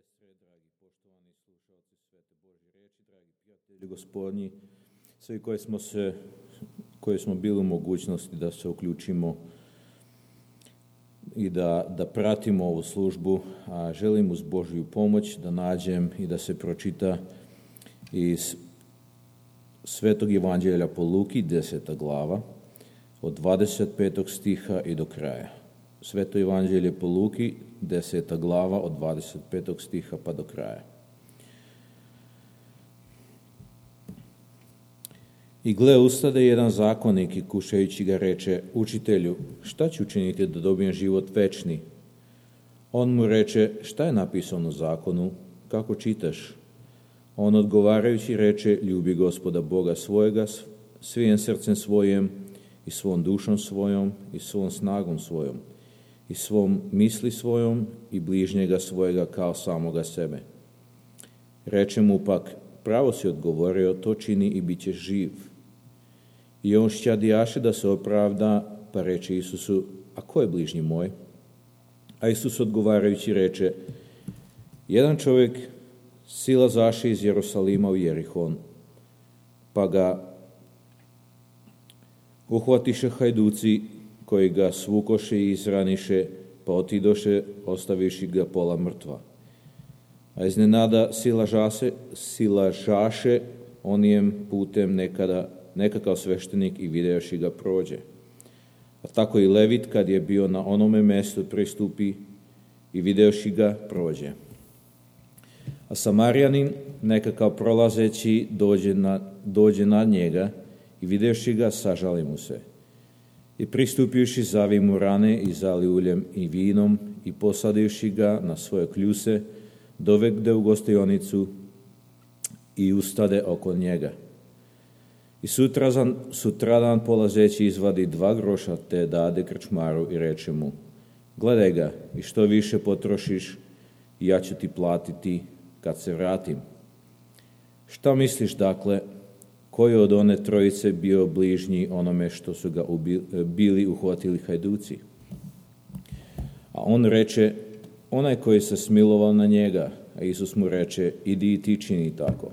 sestre, dragi poštovani slušalci Svete Božje riječi, dragi prijatelji Gospodnji, svi koji smo bili u mogućnosti da se uključimo i da pratimo ovu službu, a želim uz Božju pomoć da nađem i da se pročita iz Svetog Evanđelja po Luki, 10. glava, od 25. stiha i do kraja. Sveto Evanđelje po Luki, 10. glava, od 25. stiha pa do kraja. I gle, ustade jedan zakonnik i kušajući ga reče: Učitelju, šta ću učiniti da dobijem život večni? On mu reče: šta je napisano u zakonu, kako čitaš? On odgovarajući reče: ljubi Gospoda Boga svojega svim srcem svojim i svom dušom svojom i svom snagom svojom i svom misli svojom i bližnjega svojega kao samoga sebe. Reče mu pak: pravo si odgovorio, to čini i bit ćeš živ. I on šćadijaše da se opravda, pa reče Isusu: a ko je bližnji moj? A Isus odgovarajući reče: jedan čovjek silazaše iz Jerusalima u Jerihon, pa ga uhvatiše hajduci koji ga svukoše i izraniše, pa otidoše ostaviši ga pola mrtva. A iznenada silažaše onijem putem nekakav sveštenik i videoši ga prođe. A tako i Levit, kad je bio na onome mjestu, pristupi i videoši ga prođe. A Samarijanin, nekakav prolazeći, dođe na njega i videoši ga, sažali mu se. I pristupivši, zavi mu rane i zali uljem i vinom i posadivši ga na svoje kljuse, dovede u gostionicu i ustade oko njega. I sutradan polazeći izvadi 2 groša te dade krčmaru i reče mu: gledaj ga, i što više potrošiš, ja ću ti platiti kad se vratim. Šta misliš, dakle, koji od one trojice bio bližnji onome što su ga bili uhvatili hajduci? A on reče: onaj koji se smilovao na njega. A Isus mu reče: idi i ti čini tako.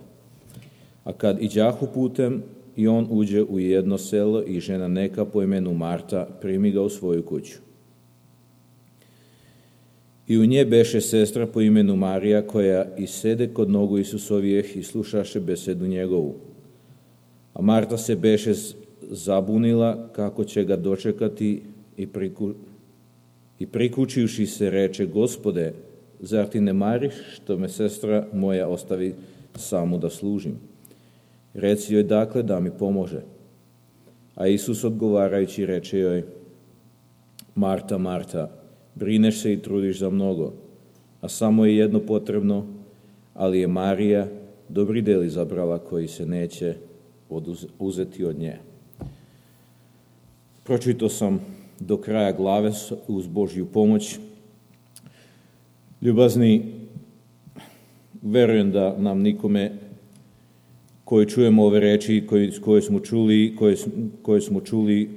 A kad iđahu putem, i on uđe u jedno selo i žena neka po imenu Marta primi ga u svoju kuću. I u nje beše sestra po imenu Marija, koja i sede kod nogu Isusovijeh i slušaše besedu njegovu. A Marta se beše zabunila kako će ga dočekati i prikučivši se reče: Gospode, zar ti ne mariš što me sestra moja ostavi samu da služim? Reci joj dakle da mi pomože. A Isus odgovarajući reče joj: Marta, Marta, brineš se i trudiš za mnogo, a samo je jedno potrebno, ali je Marija dobri del izabrala koji se neće uzeti od nje. Pročitao sam do kraja glave uz Božju pomoć. Ljubazni, verujem da nam nikome koji čujemo ove reči koje smo čuli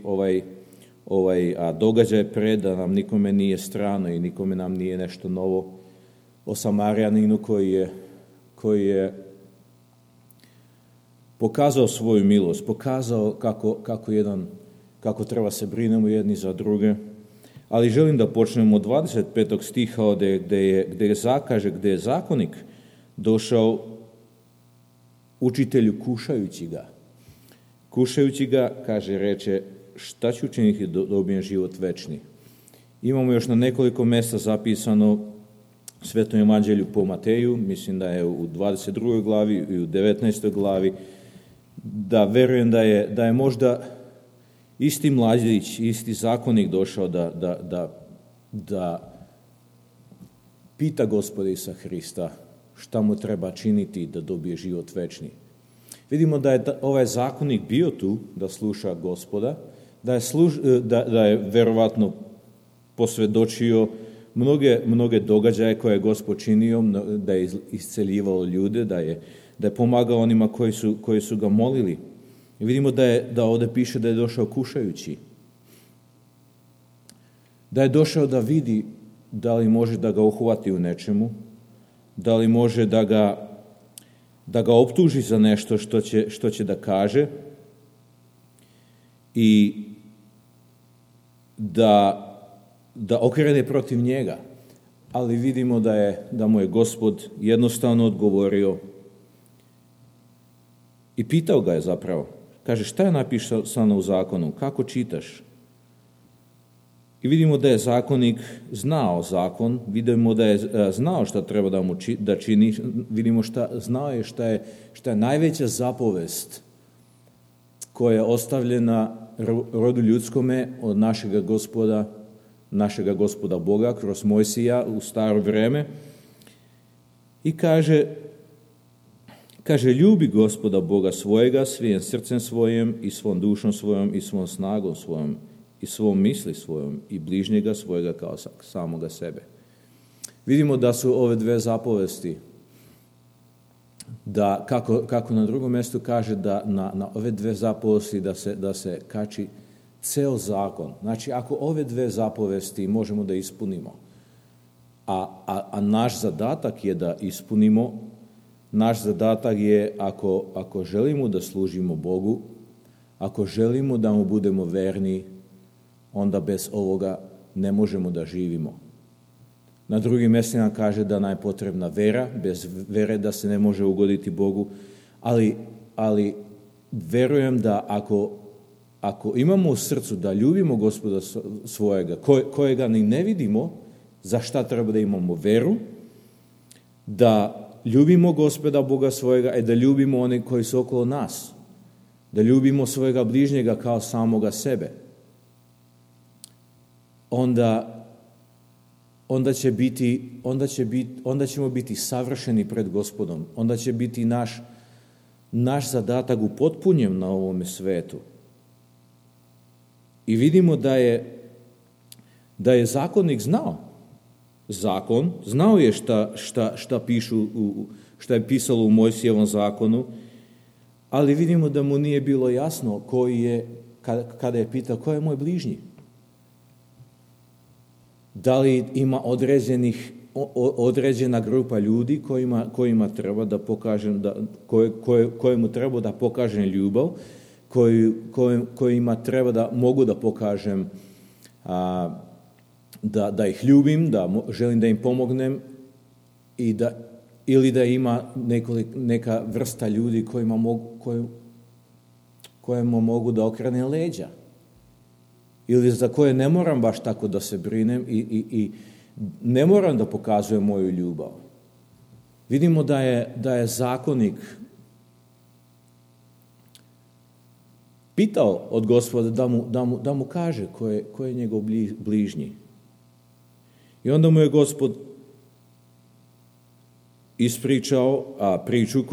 događaj pred, da nam nikome nije strano i nikome nam nije nešto novo o Samarijaninu koji je pokazao svoju milost, pokazao kako treba se brinemo jedni za druge. Ali želim da počnemo od 25. stiha gdje je zakonik došao učitelju kušajući ga, reče: šta ću učiniti da dobijem život večni? Imamo još na nekoliko mjesta zapisano Svetom Evanđelju po Mateju, mislim da je u 22. glavi i u 19. glavi, da verujem da je možda isti mladić, isti zakonik došao da pita Gospoda Isusa Hrista šta mu treba činiti da dobije život večni. Vidimo da je ovaj zakonik bio tu da sluša Gospoda, da je verovatno posvjedočio mnoge događaje koje je Gospod činio, da je isceljivao ljude, da je pomagao onima koji su ga molili. I vidimo da ovdje piše da je došao kušajući. Da je došao da vidi da li može da ga uhvati u nečemu, Da li može da ga optuži za nešto što će da kaže i da okrene protiv njega. Ali vidimo da mu je Gospod jednostavno odgovorio i pitao ga je zapravo. Kaže, šta je napisano u zakonu? Kako čitaš? I vidimo da je zakonik znao zakon, vidimo da je znao šta treba da čini, vidimo znao je šta je najveća zapovest koja je ostavljena rodu ljudskome od našega gospoda Boga kroz Mojsija u staro vreme. I kaže, ljubi Gospoda Boga svojega svim srcem svojim i svom dušom svojom i svom snagom svojom i svom misli svojom i bližnjega svojega kao samoga sebe. Vidimo da su ove dve zapovesti, da kako na drugom mjestu kaže da na ove dve zapovesti da se kači ceo zakon. Znači, ako ove dve zapovesti možemo da ispunimo, a naš zadatak je da ispunimo, naš zadatak je ako želimo da služimo Bogu, ako želimo da mu budemo verni, onda bez ovoga ne možemo da živimo. Na drugim mjestima kaže da nam je potrebna vera, bez vere da se ne može ugoditi Bogu, ali verujem da ako imamo u srcu da ljubimo Gospoda svojega, kojega ni ne vidimo, za šta treba da imamo veru, da ljubimo Gospoda Boga svojega i da ljubimo one koji su okolo nas, da ljubimo svojega bližnjega kao samoga sebe, onda ćemo biti savršeni pred Gospodom, onda će biti naš zadatak upotpunjen na ovome svetu. I vidimo da je zakonnik znao. Znao je šta je pisalo u Mojsijevom zakonu, ali vidimo da mu nije bilo jasno kada je pitao ko je moj bližnji. Da li ima određena grupa ljudi kojima treba da pokažem, kojemu treba da pokažem ljubav, kojima treba da mogu da pokažem da ih ljubim, da želim da im pomognem ili da ima neka vrsta ljudi kojima mogu da okrenem leđa. Ili za koje ne moram baš tako da se brinem i ne moram da pokazujem moju ljubav. Vidimo da je zakonik pitao od Gospoda da mu kaže ko je njegov bližnji. I onda mu je Gospod ispričao priču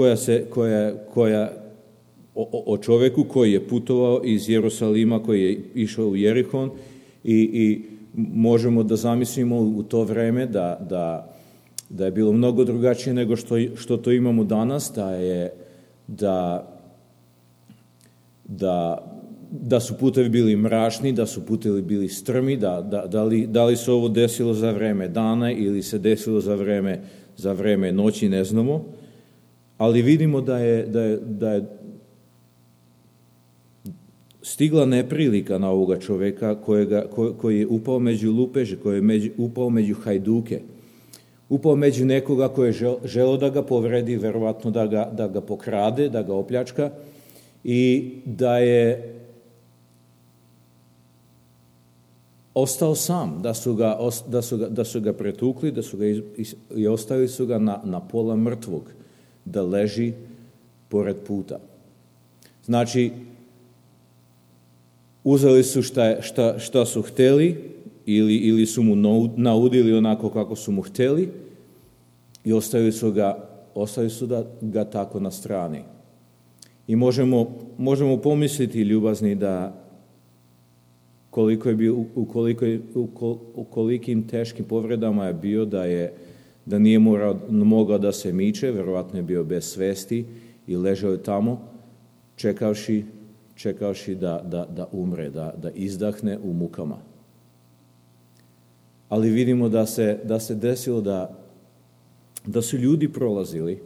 koja o čovjeku koji je putovao iz Jerusalima, koji je išao u Jerihon i možemo da zamislimo u to vreme da je bilo mnogo drugačije nego što to imamo danas, da su putevi bili mračni, da su putevi bili strmi, da li se ovo desilo za vreme dana ili se desilo za vreme noći, ne znamo, ali vidimo da je stigla neprilika na ovoga čovjeka koji je upao među lupeže, koji je upao među hajduke, upao među nekoga koji je želeo da ga povredi, verovatno da ga pokrade, da ga opljačka i da je ostao sam, da su ga pretukli, i ostavili su ga na pola mrtvog, da leži pored puta. Znači, uzeli su šta su hteli ili su mu naudili onako kako su mu hteli i ostavili su ga tako na strani. I možemo pomisliti, ljubazni, da u kolikim teškim povredama je bio, da nije mogao da se miče, verovatno je bio bez svesti i ležao je tamo čekavši da umre, da izdahne u mukama. Ali vidimo da se desilo da su ljudi prolazili,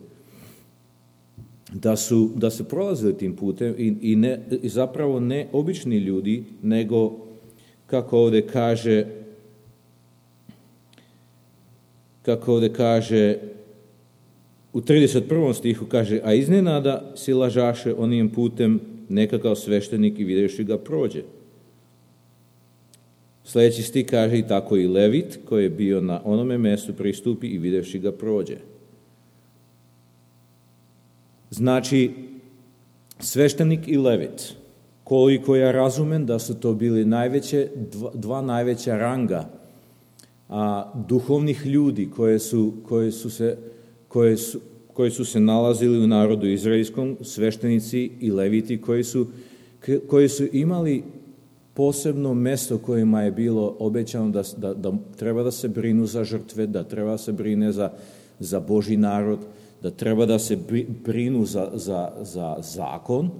da su prolazili tim putem i zapravo ne obični ljudi, nego, kako ovdje kaže u 31. stihu kaže, a iznenada silažaše onim putem nekakav sveštenik i vidjevši ga prođe. Sljedeći stih kaže, i tako i Levit koji je bio na onome mjestu pristupi i vidjevši ga prođe. Znači, sveštenik i Levit, koliko ja razumem da su to bili dva najveća ranga duhovnih ljudi koji su se nalazili u narodu izraelskom, sveštenici i leviti koji su imali posebno mjesto kojima je bilo obećano da treba da se brinu za žrtve, da treba da se brine za Božji narod, da treba da se brinu za zakon.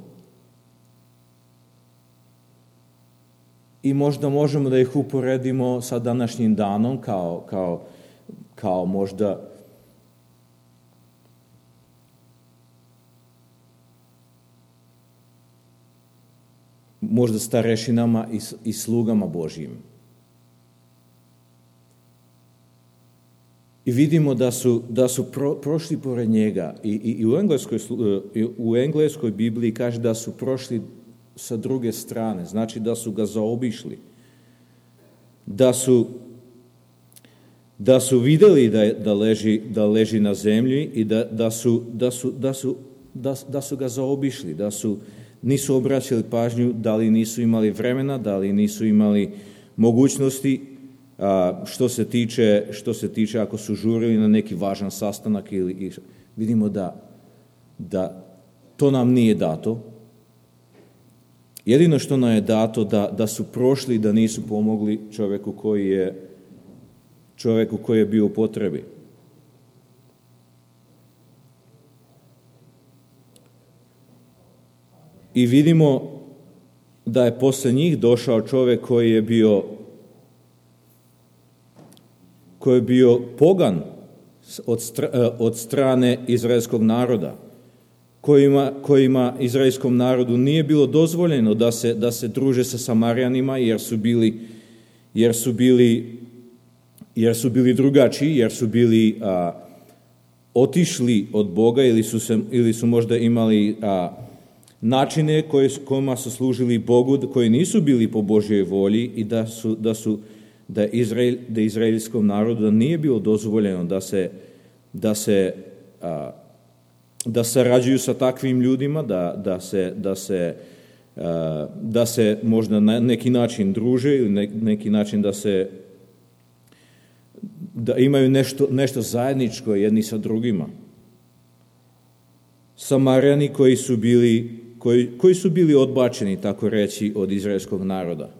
I možda možemo da ih uporedimo sa današnjim danom kao možda starešinama i slugama Božjim. I vidimo da su prošli pored njega. I u engleskoj Bibliji kaže da su prošli sa druge strane, znači da su ga zaobišli. Da su vidjeli da leži na zemlji i da su ga zaobišli, nisu obraćali pažnju, da li nisu imali vremena, da li nisu imali mogućnosti, što se tiče ako su žurili na neki važan sastanak vidimo da to nam nije dato. Jedino što nam je dato da su prošli, da nisu pomogli čovjeku koji je bio u potrebi. I vidimo da je posle njih došao čovjek koji je bio pogan od strane izraelskog naroda, kojima izraelskom narodu nije bilo dozvoljeno da se druže sa Samarijanima jer su bili drugačiji, jer su bili otišli od Boga ili su možda imali načine kojima su služili Bogu, koji nisu bili po Božjoj volji i da izraelskom narodu nije bilo dozvoljeno da sarađuju sa takvim ljudima, da se možda na neki način druže ili neki način da imaju nešto zajedničko jedni sa drugima. Samarijani koji su bili odbačeni, tako reći, od izraelskog naroda.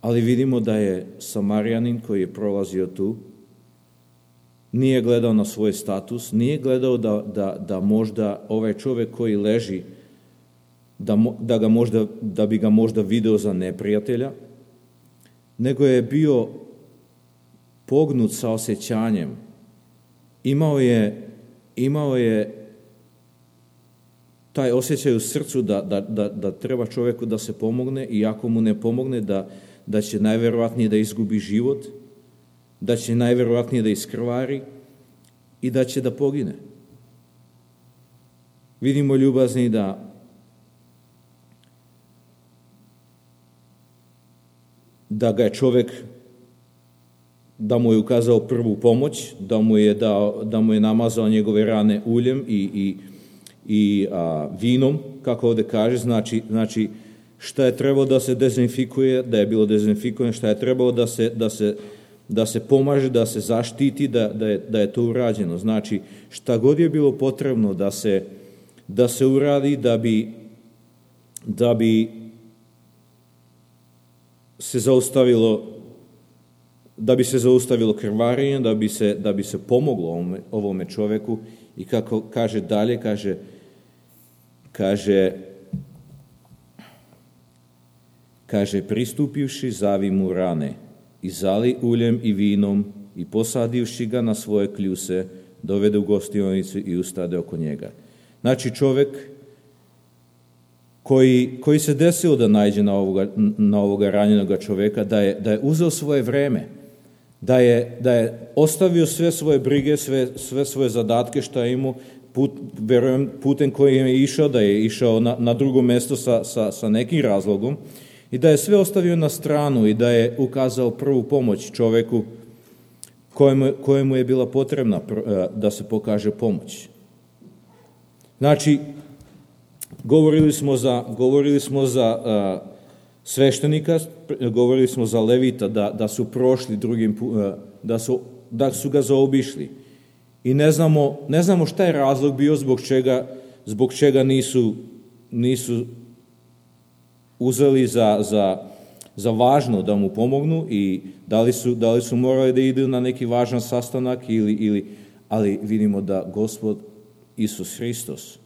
Ali vidimo da je Samarijanin koji je prolazio tu, nije gledao na svoj status, nije gledao da možda ovaj čovjek koji leži, da bi ga možda video za neprijatelja, nego je bio pognut sa osjećanjem. Imao je taj osjećaj u srcu da treba čovjeku da se pomogne i ako mu ne pomogne da će najvjerojatnije da izgubi život, da će najvjerojatnije da iskrvari i da će da pogine. Vidimo ljubazni da ga je čovjek, da mu je ukazao prvu pomoć, da mu je namazao njegove rane uljem i vinom, kako ovdje kaže, znači šta je trebalo da se dezinfikuje, da je bilo dezinfikovano, šta je trebalo da se pomaže, da se zaštiti, da je to urađeno. Znači, šta god je bilo potrebno da se uradi da bi se zaustavilo krvarenje, da bi se pomoglo ovome čovjeku. I kako kaže dalje, kaže pristupivši zavi mu rane i zali uljem i vinom i posadivši ga na svoje kljuse, dovede u gostionicu i ustade oko njega. Znači čovjek koji se desilo da naiđe na ovoga ranjenoga čovjeka, da je uzeo svoje vreme, da je ostavio sve svoje brige, sve svoje zadatke što je imao, verujem putem kojim je išao, da je išao na drugo mjesto sa nekim razlogom i da je sve ostavio na stranu i da je ukazao prvu pomoć čovjeku kojemu je bila potrebna da se pokaže pomoć. Znači, govorili smo za sveštenika, govorili smo za levita da su prošli drugim, da su ga zaobišli. I ne znamo šta je razlog bio zbog čega nisu uzeli za važno da mu pomognu i da li su morali da idu na neki važan sastanak ali vidimo da Gospod Isus Hristos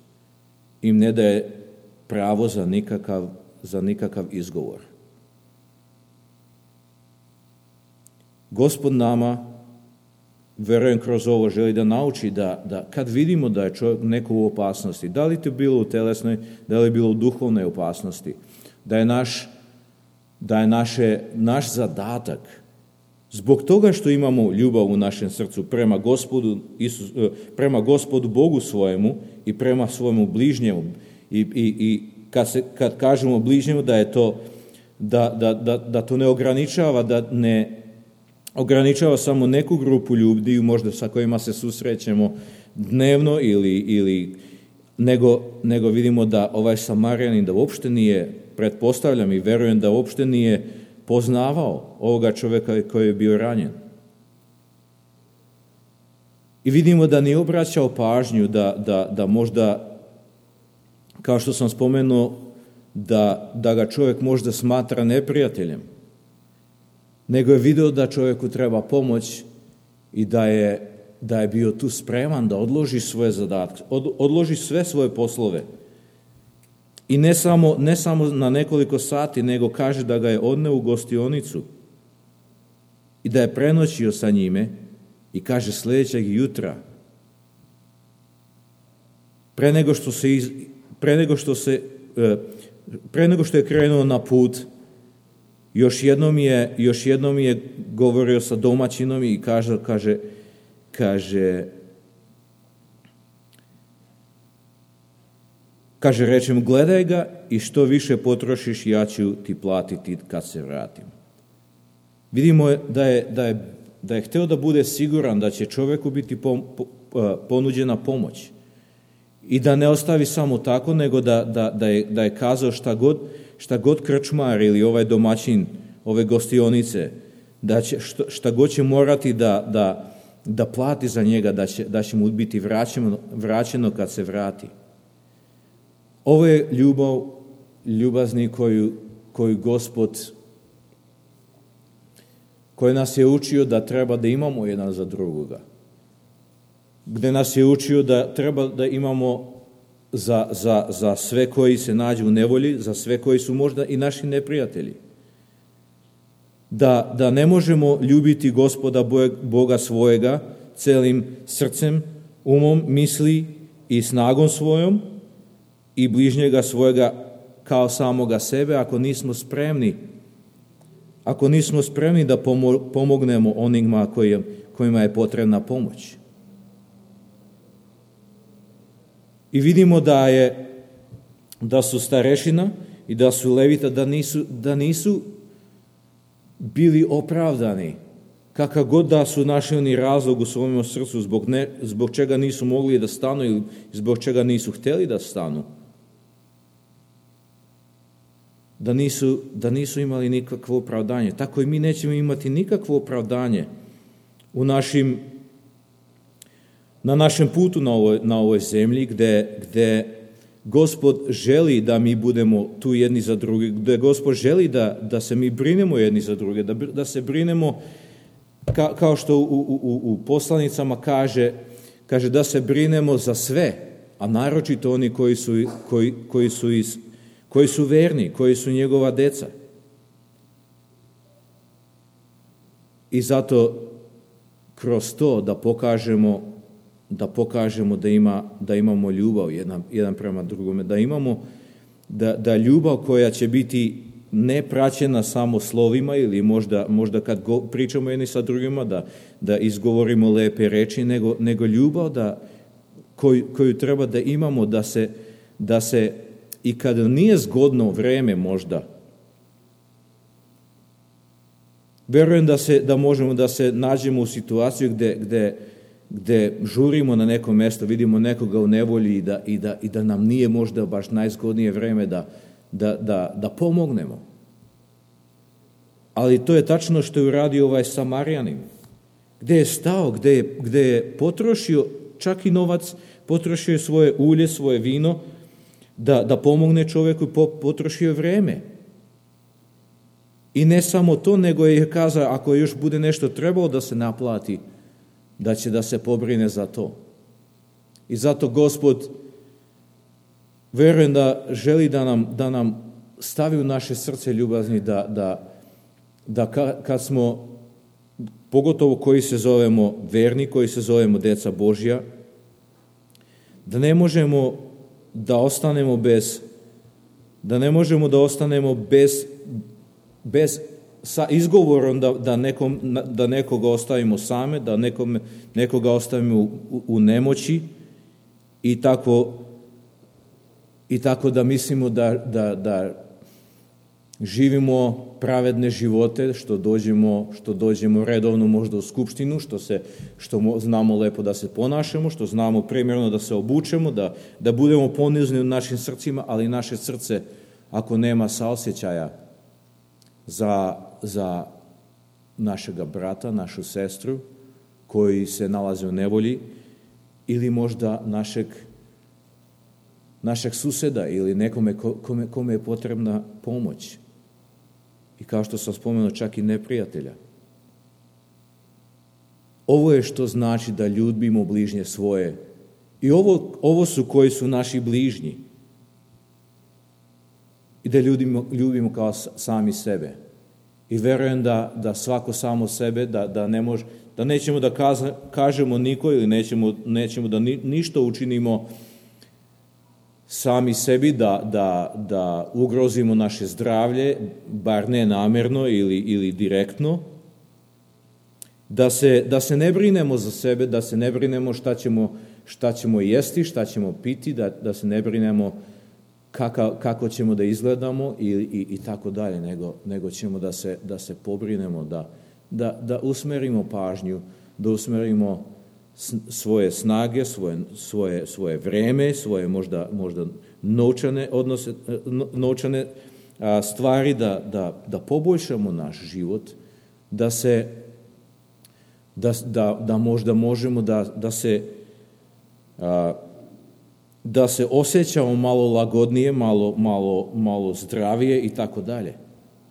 im ne daje pravo za nikakav izgovor. Gospod nama, verujem kroz ovo, želi da nauči da kad vidimo da je čovjek neko u opasnosti, da li to bilo u telesnoj, da li je bilo u duhovnoj opasnosti, da je naš zadatak, zbog toga što imamo ljubav u našem srcu prema Gospodu Bogu svojemu i prema svojemu bližnjemu, i kad kažemo bližnjemu, da je to da to ne ograničava, da ne ograničava samo neku grupu ljudi, možda sa kojima se susrećemo dnevno nego vidimo da ovaj Samarijanin da uopšte nije, pretpostavljam i verujem da uopšte nije poznavao ovoga čovjeka koji je bio ranjen. I vidimo da nije obraćao pažnju da možda, kao što sam spomenuo, da ga čovjek možda smatra neprijateljem, nego je video da čovjeku treba pomoć i da je bio tu spreman da odloži svoje zadatke, odloži sve svoje poslove. I ne samo na nekoliko sati, nego kaže da ga je odneo u gostionicu i da je prenoćio sa njime i kaže sljedećeg jutra, pre nego što je krenuo na put, još jednom je govorio sa domaćinom i kaže, rečem, gledaj ga i što više potrošiš, ja ću ti platiti kad se vratim. Vidimo da je hteo da bude siguran da će čovjeku biti ponuđena pomoć i da ne ostavi samo tako, nego da je kazao šta god krčmar ili ovaj domaćin ove gostionice, šta god će morati da plati za njega, da će mu biti vraćeno kad se vrati. Ovo je ljubazni koju Gospod, koji nas je učio da treba da imamo jedan za drugoga. Gde nas je učio da treba da imamo za sve koji se nađu u nevolji, za sve koji su možda i naši neprijatelji. Da ne možemo ljubiti Gospoda Boga svojega celim srcem, umom, misli i snagom svojom i bližnjega svojega kao samoga sebe ako nismo spremni da pomognemo onima kojima je potrebna pomoć. I vidimo da su starešina i da su levita, da nisu bili opravdani, kakav god da su našli oni razlog u svojom srcu zbog čega nisu mogli da stanu ili zbog čega nisu htjeli da stanu. Da nisu imali nikakvo opravdanje. Tako i mi nećemo imati nikakvo opravdanje na našem putu na ovoj zemlji gde Gospod želi da mi budemo tu jedni za druge, gde Gospod želi da se mi brinemo jedni za druge, da se brinemo kao što u poslanicama kaže da se brinemo za sve, a naročito oni koji su verni, koji su njegova deca. I zato kroz to da pokažemo da pokažemo da imamo ljubav jedan prema drugome, da imamo da ljubav koja će biti ne praćena samo slovima ili možda kad pričamo jedni sa drugima da izgovorimo lepe reči, nego ljubav koju treba da imamo da se i kad nije zgodno vreme možda, verujem da možemo da se nađemo u situaciju gde žurimo na neko mesto, vidimo nekoga u nevolji i da nam nije možda baš najzgodnije vreme da pomognemo. Ali to je tačno što je uradio ovaj Samarjanin, gde je stao, gde je potrošio čak i novac, potrošio svoje ulje, svoje vino, da pomogne čovjeku, potrošio vreme. I ne samo to, nego je kazao, ako još bude nešto trebalo da se naplati, da će da se pobrine za to. I zato Gospod, verujem da želi da nam stavi u naše srce ljubazni, da kad smo, pogotovo koji se zovemo verni, koji se zovemo deca Božja, da ne možemo da ostanemo bez sa izgovorom da nekoga ostavimo same, da nekoga ostavimo u nemoći i tako da mislimo da živimo pravedne živote, što dođemo redovno možda u skupštinu, što znamo lepo da se ponašamo, što znamo primjerno da se obučemo, da budemo ponizni u našim srcima, ali naše srce, ako nema saosjećaja za našega brata, našu sestru, koji se nalaze u nevolji, ili možda našeg suseda ili nekome kome je potrebna pomoć. I kao što sam spomenuo, čak i neprijatelja. Ovo je što znači da ljubimo bližnje svoje. I ovo su koji su naši bližnji. I da ljubimo kao sami sebe. I verujem da svako samo sebe, da nećemo da kažemo niko ili nećemo da ništa učinimo sami sebi, da ugrozimo naše zdravlje, bar ne namjerno ili direktno, da se ne brinemo za sebe, da se ne brinemo šta ćemo jesti, šta ćemo piti, da se ne brinemo kako ćemo da izgledamo i tako dalje, nego ćemo da se pobrinemo, da usmerimo pažnju, da usmerimo svoje snage, svoje vreme, svoje možda novčane stvari, da poboljšamo naš život, da možda možemo da se osjećamo malo lagodnije, malo zdravije i tako dalje.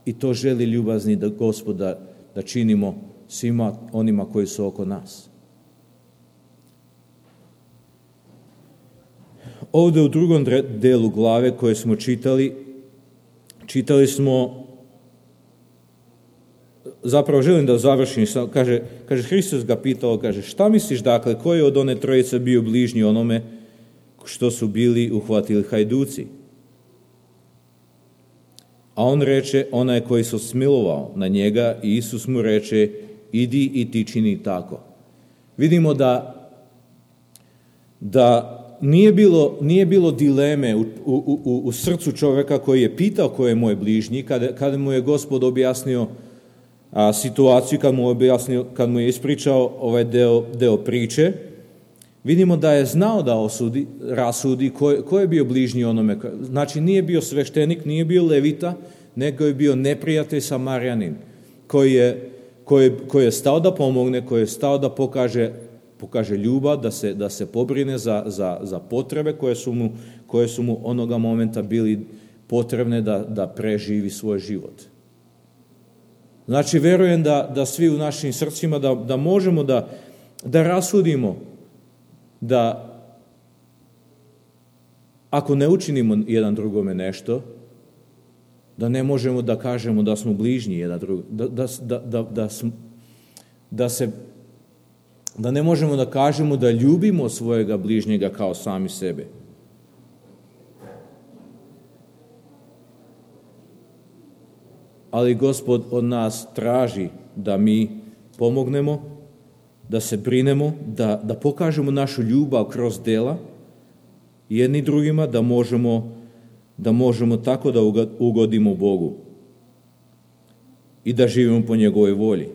I to želi ljubazni da Gospoda da činimo svima onima koji su oko nas. Ovdje u drugom delu glave koje smo čitali smo, zapravo želim da završim, kaže Hristos ga pitao, kaže, šta misliš dakle, koji je od one trojice bio bližnji onome što su bili uhvatili hajduci? A on reče, onaj koji se smilovao na njega, i Isus mu reče, idi i ti čini tako. Vidimo da nije bilo dileme u srcu čovjeka koji je pitao ko je moj bližnji, kada mu je Gospod objasnio situaciju, kad mu je ispričao ovaj deo priče. Vidimo da je znao da rasudi ko je bio bližnji onome. Znači nije bio sveštenik, nije bio levita, nego je bio neprijatelj Samarjanin koji je stao da pomogne, koji je stao da pokaže ljubav, da se pobrine za potrebe koje su mu onoga momenta bili potrebne da preživi svoj život. Znači, verujem da svi u našim srcima da možemo da rasudimo, da ako ne učinimo jedan drugome nešto, da ne možemo da kažemo da smo bližnji jedan drugom, da ne možemo da kažemo da ljubimo svojega bližnjega kao sami sebe. Ali Gospod od nas traži da mi pomognemo, da se brinemo, da pokažemo našu ljubav kroz dela jedni drugima, da možemo tako da ugodimo Bogu i da živimo po njegovoj volji.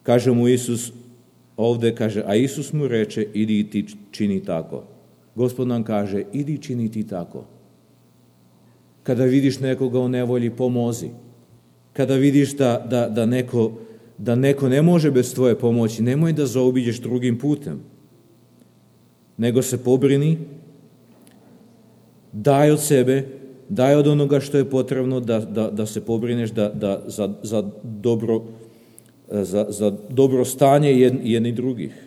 Kaže mu Isus ovdje, a Isus mu reče, idi i ti čini tako. Gospod nam kaže, idi čini ti tako. Kada vidiš nekoga u nevolji, pomozi. Kada vidiš da neko ne može bez tvoje pomoći, nemoj da zaobiđeš drugim putem. Nego se pobrini, daj od sebe, daj od onoga što je potrebno da se pobrineš za dobro stanje jedni drugih.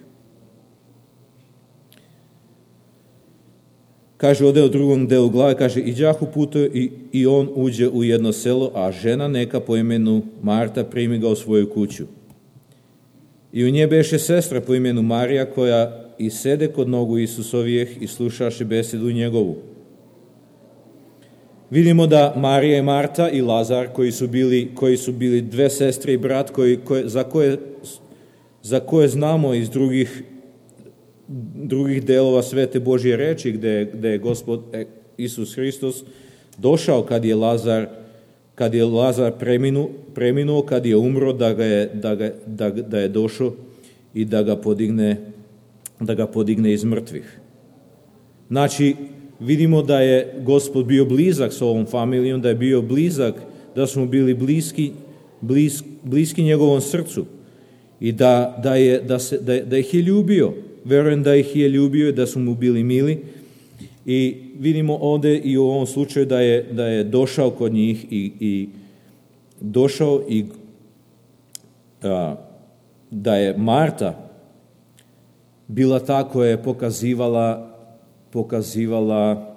Kaže ovdje u drugom delu glave, kaže, iđahu putuje i on uđe u jedno selo, a žena neka po imenu Marta primi ga u svoju kuću. I u nje beše sestra po imenu Marija, koja i sede kod nogu Isusovijeh i slušaše besedu njegovu. Vidimo da Marija i Marta i Lazar, koji su bili dve sestre i brat, za koje znamo iz drugih delova Svete Božje reči, gde je Gospod Isus Hristos došao kad je Lazar preminuo, kad je umro, da je došao i da ga podigne iz mrtvih. Znači, vidimo da je Gospod bio blizak s ovom familijom, da je bio blizak, da smo bili bliski njegovom srcu i da ih je ljubio. Verujem da ih je ljubio i da su mu bili mili. I vidimo ovdje i u ovom slučaju da je došao kod njih i došao i da je Marta bila ta koja je pokazivala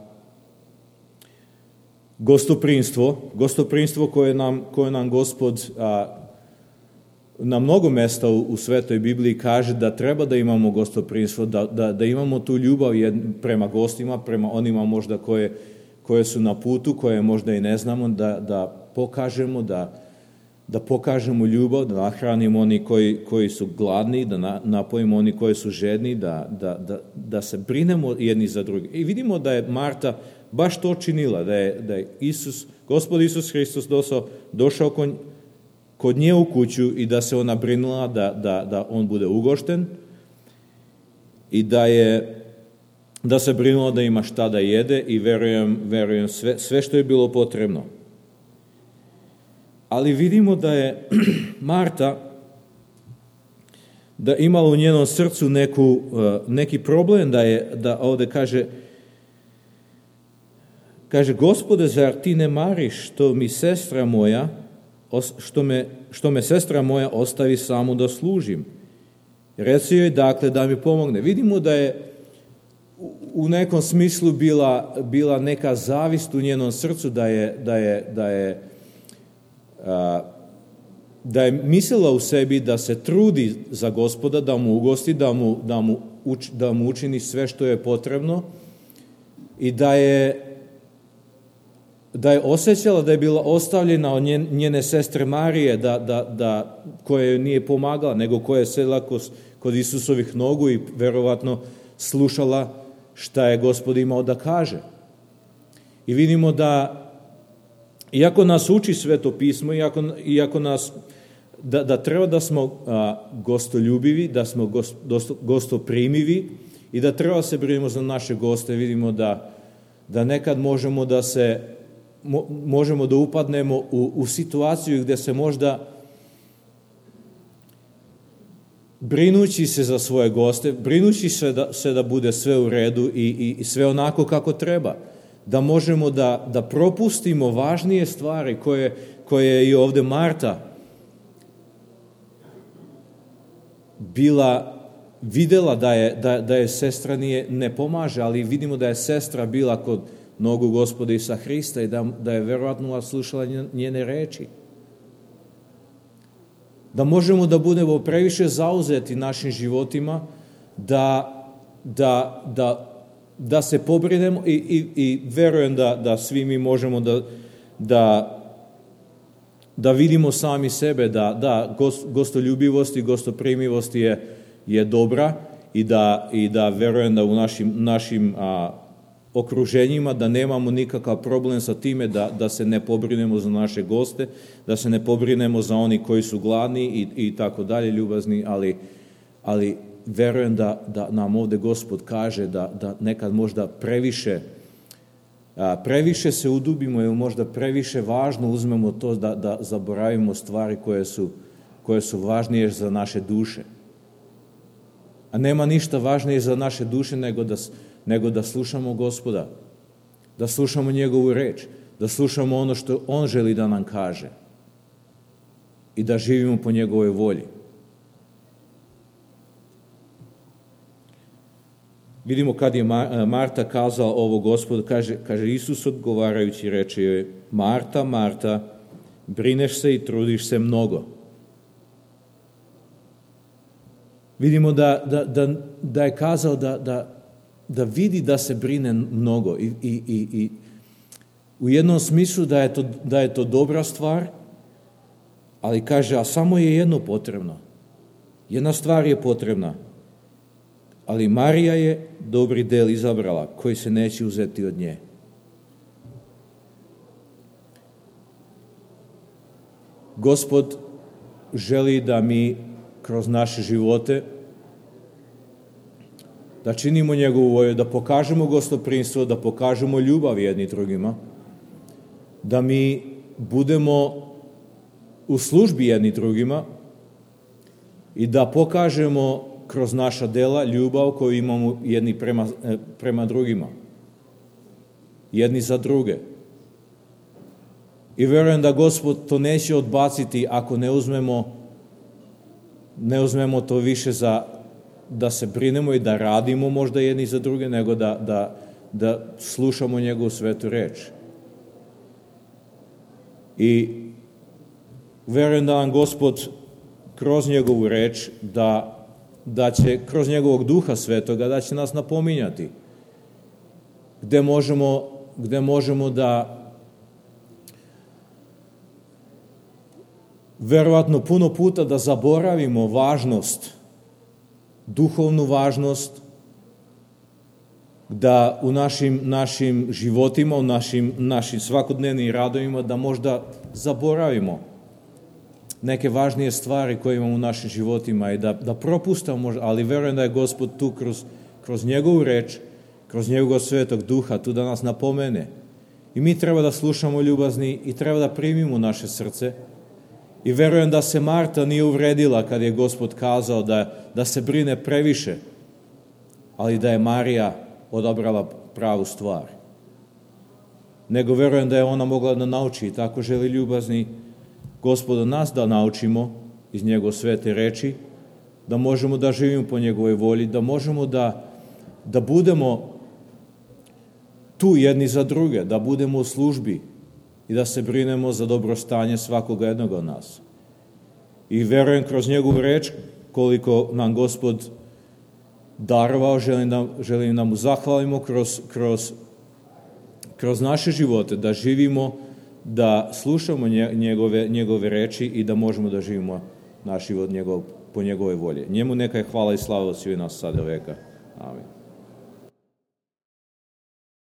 gostoprimstvo koje nam Gospod na mnogo mesta u Svetoj Bibliji kaže da treba da imamo gostoprimstvo, da imamo tu ljubav prema gostima, prema onima možda koje su na putu, koje možda i ne znamo, da pokažemo ljubav, da nahranimo oni koji su gladni, da napojimo oni koji su žedni, da se brinemo jedni za drugi. I vidimo da je Marta baš to činila, da je Gospod Isus Hristos došao kod nje u kuću i da se ona brinula da on bude ugošten i da se brinula da ima šta da jede i verujem sve što je bilo potrebno. Ali vidimo da je Marta da imala u njenom srcu neki problem, da ovdje kaže, Gospode, zar ti ne mariš što me sestra moja ostavi samu da služim? Reci joj dakle da mi pomogne. Vidimo da je u nekom smislu bila neka zavist u njenom srcu, da je mislila u sebi da se trudi za Gospoda, da mu ugosti, da mu učini sve što je potrebno i da je osjećala da je bila ostavljena od njene sestre Marije, koja joj nije pomagala, nego koja je sedela kod Isusovih nogu i verovatno slušala šta je Gospod imao da kaže. I vidimo da iako nas uči Sveto pismo, iako nas da treba da smo gostoljubivi, da smo gostoprimivi i da treba se brinemo za naše goste, vidimo da nekad možemo da upadnemo u situaciju gdje se možda brinući se za svoje goste, brinući se da bude sve u redu i sve onako kako treba, da možemo da propustimo važnije stvari koje je i ovdje Marta bila videla da je sestra ne pomaže, ali vidimo da je sestra bila kod nogu Gospoda Isusa Hrista i da je verovatno slušala njene reči. Da možemo da budemo previše zauzeti našim životima, da se pobrinemo i verujem da svi mi možemo da vidimo sami sebe, da gostoljubivost i gostoprimivost je dobra i da verujem da u našim okruženjima da nemamo nikakav problem sa time da se ne pobrinemo za naše goste, da se ne pobrinemo za oni koji su gladni i tako dalje, ljubazni, ali verujem da nam ovde Gospod kaže da nekad možda previše se udubimo ili možda previše važno uzmemo to da zaboravimo stvari koje su važnije za naše duše. A nema ništa važnije za naše duše nego da slušamo Gospoda, da slušamo njegovu reč, da slušamo ono što on želi da nam kaže i da živimo po njegovoj volji. Vidimo kad je Marta kazala ovo Gospodu, kaže Isus odgovarajući reče joj, Marta, Marta, brineš se i trudiš se mnogo. Vidimo da je kazao da vidi da se brine mnogo i u jednom smislu da je to dobra stvar, ali kaže, a samo je jedno potrebno. Jedna stvar je potrebna, ali Marija je dobri del izabrala, koji se neće uzeti od nje. Gospod želi da mi kroz naše živote da činimo njegovu volju, da pokažemo gostoprimstvo, da pokažemo ljubav jedni drugima, da mi budemo u službi jedni drugima i da pokažemo kroz naša dela ljubav koju imamo jedni prema drugima, jedni za druge. I verujem da Gospod to neće odbaciti ako ne uzmemo to više da se brinemo i da radimo možda jedni za druge, nego da slušamo njegovu svetu reč. I verujem da nam Gospod kroz njegovu reč, da će kroz njegovog Duha Svetoga, da će nas napominjati gde možemo da verovatno puno puta da zaboravimo važnost, duhovnu važnost, da u našim životima, u našim svakodnevnim radovima, da možda zaboravimo neke važnije stvari koje imamo u našim životima i da propustamo, ali verujem da je Gospod tu kroz njegovu reč, kroz njegovog Svetog Duha, tu da nas napomene. I mi treba da slušamo ljubazni i treba da primimo naše srce. I verujem da se Marta nije uvredila kad je Gospod kazao da se brine previše, ali da je Marija odabrala pravu stvar. Nego verujem da je ona mogla da nauči i tako želi ljubazni Gospoda nas da naučimo iz njegove svete reči, da možemo da živimo po njegovoj volji, da možemo da budemo tu jedni za druge, da budemo u službi i da se brinemo za dobrostanje svakoga jednog od nas. I verujem kroz njegovu reč, koliko nam Gospod darovao, želim da mu zahvalimo kroz naše živote, da živimo, da slušamo njegove reči i da možemo da živimo naš život po njegovoj volji. Njemu neka je hvala i slava od svih nas sada veka. Amin.